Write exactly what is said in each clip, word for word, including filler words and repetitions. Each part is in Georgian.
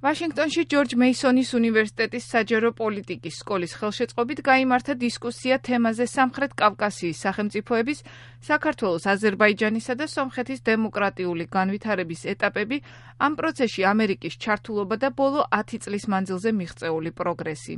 ვაშინგტონში ჯორჯ მეისონის უნივერსიტეტის საჯარო პოლიტიკის სკოლის ხელშეწყობით გაიმართა დისკუსია თემაზე სამხრეთ კავკასიის სახელმწიფოების, საქართველოს, აზერბაიჯანისა და სომხეთის დემოკრატიული განვითარების ეტაპები, ამ პროცესში ამერიკის ჩართულობა და ბოლო ათი წლის მანძილზე მიღწეული პროგრესი.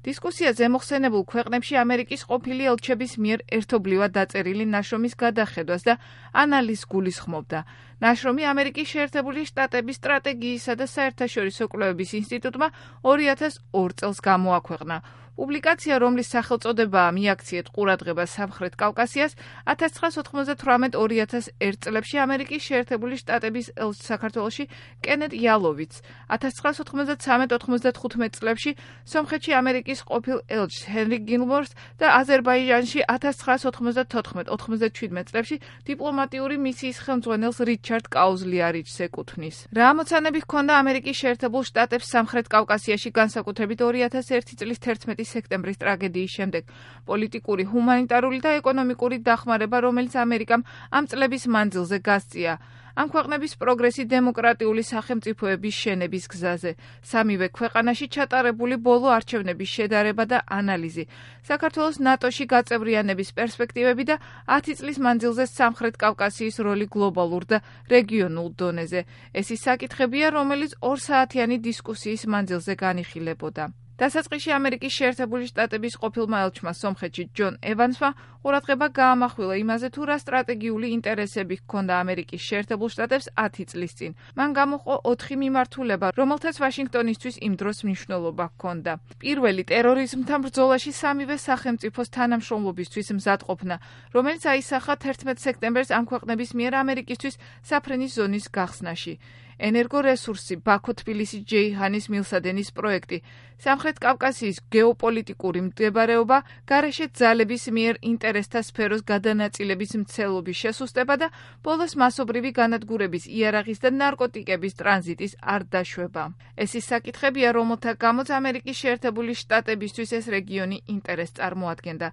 დისკუსიაზე მოხსენებულ ქვეყნებში ამერიკის ყოფილი ელჩების მიერ ერთობლივად დაწერილი ნაშრომის გადახედვას და ანალიზს გულისხმობდა. ნაშრომი ამერიკის შეერთებული შტატების სტრატეგიისა და საერთაშორისო კვლევების ინსტიტუტმა ორი ათას ორ წელს გამოაქვეყნა. პუბლიკაცია, რომლის სახელწოდებაა მიაქციეთ ყურადღება სამხრეთ კავკასიას, ათას ცხრაას ოთხმოცდათვრამეტ ორი ათას ერთ წლებში ამერიკის შეერთებული შტატების ელჩს საქართველოში კენედ იალოვიც, ათას ცხრაას ოთხმოცდათსამეტ ოთხმოცდათხუთმეტ წლებში სომხეთში ამერიკის ყოფილ ელჩს ჰენრი გილმორს და აზერბაიჯანში ათას ცხრაას ოთხმოცდათოთხმეტ ოთხმოცდაჩვიდმეტ წლებში დიპლომატიური მისიის ხელმძღვანელს რიჩარდ კაუზლიარიჩს ეკუთვნის. რა ამოცანები ჰქონდა ამერიკის შეერთებულ შტატებს სამხრეთ კავკასიაში, განსაკუთრებით ორი ათას ერთი წლის თერთმეტი სექტემბრის ტრაგედიის შემდეგ, პოლიტიკური, ჰუმანიტარული და ეკონომიკური დახმარება, რომელიც ამერიკამ ამ წლების მანძილზე გასწია. ამ ქვეყნების პროგრესი დემოკრატიული სახელმწიფოების შენების გზაზე, სამივე ქვეყანაში ჩატარებული ბოლო არჩევნების შედარება და ანალიზი, საქართველოს ნატოში გაწევრიანების პერსპექტივები და ათი წლის მანძილზე სამხრეთ კავკასიის როლი გლობალურ და რეგიონულ დონეზე. ეს ის საკითხებია, რომელიც ორსაათიანი დისკუსიის მანძილზე განიხილებოდა. დასაწყისში ამერიკის შეერთებული შტატების ყოფილმა ელჩმა სომხეთში ჯონ ევანსმა ყურადღება გაამახვილა იმაზე, თუ რა სტრატეგიული ინტერესები ჰქონდა ამერიკის შეერთებულ შტატებს ათი წლის წინ. მან გამოყო ოთხი მიმართულება, რომელთაც ვაშინგტონისთვის იმ დროს მნიშვნელობა ჰქონდა. პირველი, ტერორიზმთან ბრძოლაში სამივე სახელმწიფოს თანამშრომლობისთვის მზადყოფნა, რომელიც აისახა თერთმეტ სექტემბერს ამ ქვეყნების მიერ ამერიკისთვის საფრენის ზონის გახსნაში. ენერგორესურსი, ბაქო-თბილისი-ჯეიჰანის მილსადენის პროექტი, სამხრეთ კავკასიის გეოპოლიტიკური მდებარეობა, გარეშე ძალების მიერ ინტერესთა სფეროს გადანაწილების მცელობის შესუსტება და ბოლოს მასობრივი განადგურების, იარაღის და ნარკოტიკების ტრანზიტის არ დაშვება. ეს ის საკითხებია, რომელთა გამოც ამერიკის შეერთებული შტატებისთვის ეს რეგიონი ინტერესს წარმოადგენდა.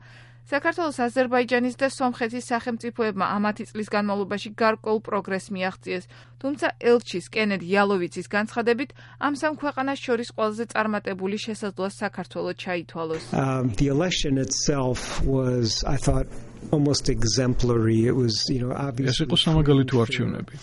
საქართველოს, აზერბაიჯანის და სომხეთის სახელმწიფოებმა ამ ათი წლის განმავლობაში გარკვეულ პროგრესს მიაღწიეს, თუმცა ელჩის კენედ იალოვიცის განცხადებით, ამ სამ ქვეყანას შორის ყველაზე წარმატებული შესაძლოა საქართველო ჩაითვალოს. Um, the election itself was, I thought, almost exemplary. It was, you know, obviously. ეს იყო სამაგალითო არჩევნები.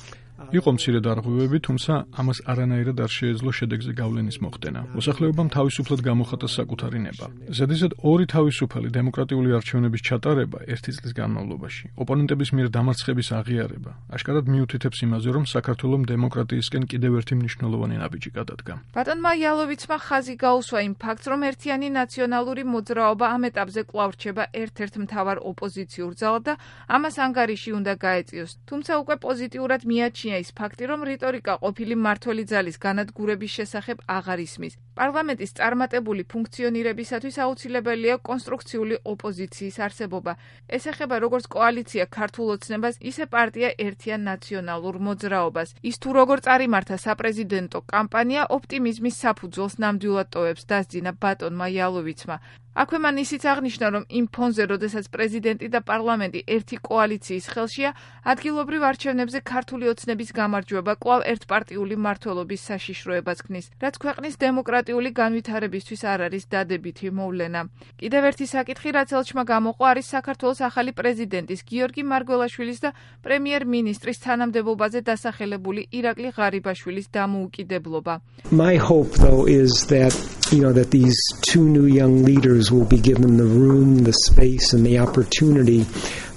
იყო მცირე დარღვევები, თუმცა ამას არანაირად არ შეეძლო შედეგზე გავლენის მოხდენა. მოსახლეობამ თავისუფლად გამოხატა საკუთარი ნება. ზედიზედ ორი თავისუფალი დემოკრატიული არჩევნების ჩატარება ერთი წლის განმავლობაში, ოპონენტების მიერ დამარცხების აღიარება, აშკარად მიუთითებს იმაზე, რომ საქართველომ დემოკრატიისკენ კიდევ ერთი მნიშვნელოვანი ნაბიჯი გადადგა. ბატონმა იალოვიცმა ხაზი გაუსვა იმ ფაქტს, რომ ერთიანი ნაციონალური მოძრაობა ამ ეტაპზე კვლავ რჩება ერთ-ერთ მთავარ ოპოზიციურ ძალად და ამას ანგარიში უნდა გაეწიოს. თუმცა უკვე პოზიტიურად მიაჩნია ის ფაქტი, რომ რიტორიკა ყოფილი მმართველი ძალის განადგურების შესახებ აღარ ისმის. პარლამენტის წარმატებული ფუნქციონირებისათვის აუცილებელია კონსტრუქციული ოპოზიციის არსებობა. ეს ეხება როგორც კოალიცია ქართულ ოცნებას, ისე პარტია ერთიან ნაციონალურ მოძრაობას. ის თუ როგორ წარიმართა საპრეზიდენტო კამპანია, ოპტიმიზმის საფუძველს ნამდვილად ტოვებს, დასძინა ბატონმა იალოვიცმა. აქვე მან ისიც აღნიშნა, რომ იმ ფონზე, როდესაც პრეზიდენტი და პარლამენტი ერთი კოალიციის ხელშია, ადგილობრივ არჩევნებზე ქართული ოცნების გამარჯვება კვლავ ერთპარტიული მმართველობის საშიშროებას ქმნის, რაც ქვეყნის დემოკრატიული განვითარებისთვის არ არის დადებითი მოვლენა. კიდევ ერთი საკითხი, რაც ელჩმა გამოყო, არის საქართველოს ახალი პრეზიდენტის გიორგი მარგველაშვილის და პრემიერ-მინისტრის თანამდებობაზე დასახელებული ირაკლი ღარიბაშვილის დამოუკიდებლობა. My hope, though, is that, you know, that these two new young leaders will be given the room, the space, and the opportunity,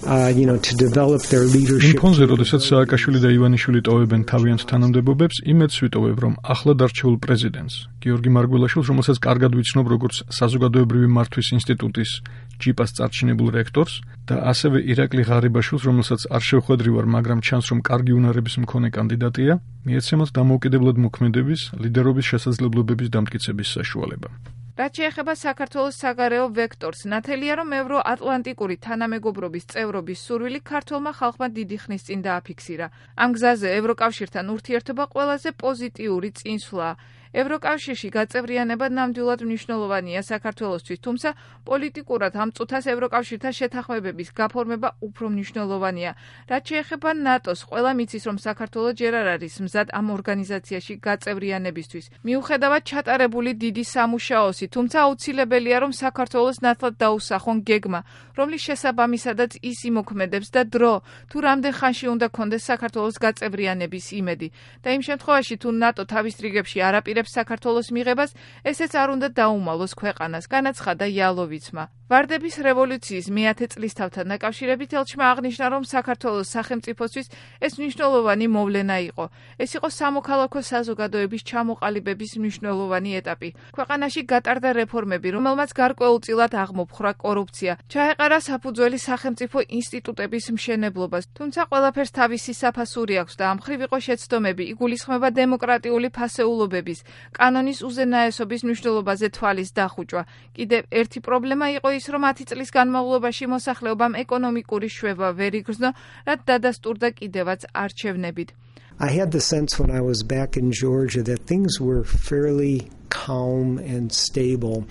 uh, you know, to develop their leadership. იმ ფონზე, როდესაც სააკაშვილი და ივანიშვილი ტოვებენ თავიანთ თანამდებობებს, იმედს ვიტოვებ, რომ ახლად არჩეულ პრეზიდენტს, გიორგი მარგველაშვილს, რომელსაც კარგად ვიცნობ როგორც საზოგადოებრივი მართვის ინსტიტუტის ჯიპას წარჩინებულ რექტორს და ასევე ირაკლი ღარიბაშვილს, რომელსაც არ შევხვედრი ვარ, მაგრამ ჩანს, რომ კარგი უნარების მქონე კანდიდატია, მიეცემათ დამოუკიდებლად მოქმედების, ლიდერობის შესაძლებლობების დამტკიცების საშუალება. რაც შეეხება საქართველოს საგარეო ვექტორს, ნათელია, რომ ევროატლანტიკური თანამეგობრობის წევრობის სურვილი ქართველმა ხალხმა დიდი ხნის წინ დააფიქსირა. ამ გზაზე ევროკავშირთან ურთიერთობა ყველაზე პოზიტიური წინსვლაა. ევროკავშირში გაწევრიანება ნამდვილად მნიშვნელოვანია საქართველოსთვის, თუმცა პოლიტიკურად ამ წუთას ევროკავშირთან შეთანხმებების გაფორმება უფრო მნიშვნელოვანია. რაც შეეხება ნატოს, ყველა მიცის, რომ საქართველო ჯერ არ არის მზად ამ ორგანიზაციაში გაწევრიანებისთვის. მიუხედავად ჩატარებული დიდი სამუშაოსი, თუმცა აუცილებელია, რომ საქართველოს ნათლად დაუსახონ გეგმა, რომლის შესაბამისადაც ის იმოქმედებს და დრო, თუ რამდენ ხანში უნდა კონდეს საქართველოს გაწევრიანების იმედი. და იმ შემთხვევაში, თუ ნატო თავის რიგებში არ აპირებს საქართველოს მიღებას, ესეც არ უნდა დაუმალოს ქვეყანას, განაცხადა იალოვიცმა. ვარდების რევოლუციის მეათე წლისთავთან დაკავშირებით ელჩმა აღნიშნა, რომ საქართველოს სახელმწიფოსთვის ეს მნიშვნელოვანი მოვლენა იყო. ეს იყო სამოქალაქო საზოგადოების ჩამოყალიბების მნიშვნელოვანი ეტაპი. ქვეყანაში გატარდა რეფორმები, რომელმაც გარკვეულწილად აღმოფხვრა კორუფცია, ჩაეყარა საფუძველი სახელმწიფო ინსტიტუტების მშენებლობას, თუმცა ყველაფერს თავისი საფასური აქვს და ამ მხრივ იყო შეცდომები, იგულისხმება დემოკრატიული ფასეულობების, კანონის უზენაესობის მნიშვნელობაზე თვალის დახუჭვა. კიდევ ერთი პრობლემა იყო ის, რომ ათი წლის განმავლობაში მოსახლეობამ ეკონომიკური შვება ვერ იგრძნო, რაც დადასტურდა კიდევაც არჩევნებით. I had the sense when I was back in Georgia that things were fairly calm and stable.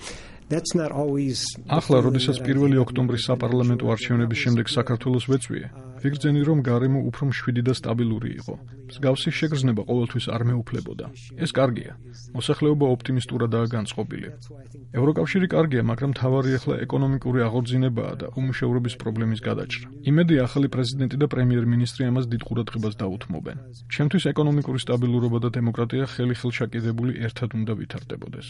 That's not always. ახლა, როდესაც პირველი ოქტომბრის საპარლამენტო არჩევნების შემდეგ საქართველოს ვეცვიე, ვიგრძენი, რომ გარემო უფრო მშვიდი და სტაბილური იყო. მსგავსი შეგრძნება ყოველთვის არ მეუფლებოდა. ეს კარგია. მოსახლეობა ოპტიმისტურადაა განწყობილი. ევროკავშირი კარგია, მაგრამ თავარი ახლა ეკონომიკური აღორძინებაა და უმუშევრობის პრობლემის გადაჭრა. იმედი ახალი პრეზიდენტი და პრემიერ-მინისტრი ამას დიდ ყურადღებას დაუთმობენ. ჩემთვის ეკონომიკური სტაბილურობა და დემოკრატია ხელი-ხელშაკიდებული ერთად უნდა ვითარდებოდეს.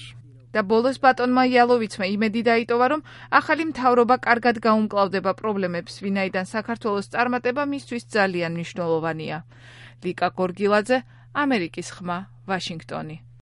და ბოლოს ბატონმა იალოვიცმა იმედი დაიტოვა, რომ ახალი მთავრობა კარგად გაუმკლავდება პრობლემებს, ვინაიდან საქართველოს წარმატება მისთვის ძალიან მნიშვნელოვანია. ლიკა გორგილაძე, ამერიკის ხმა, ვაშინგტონი.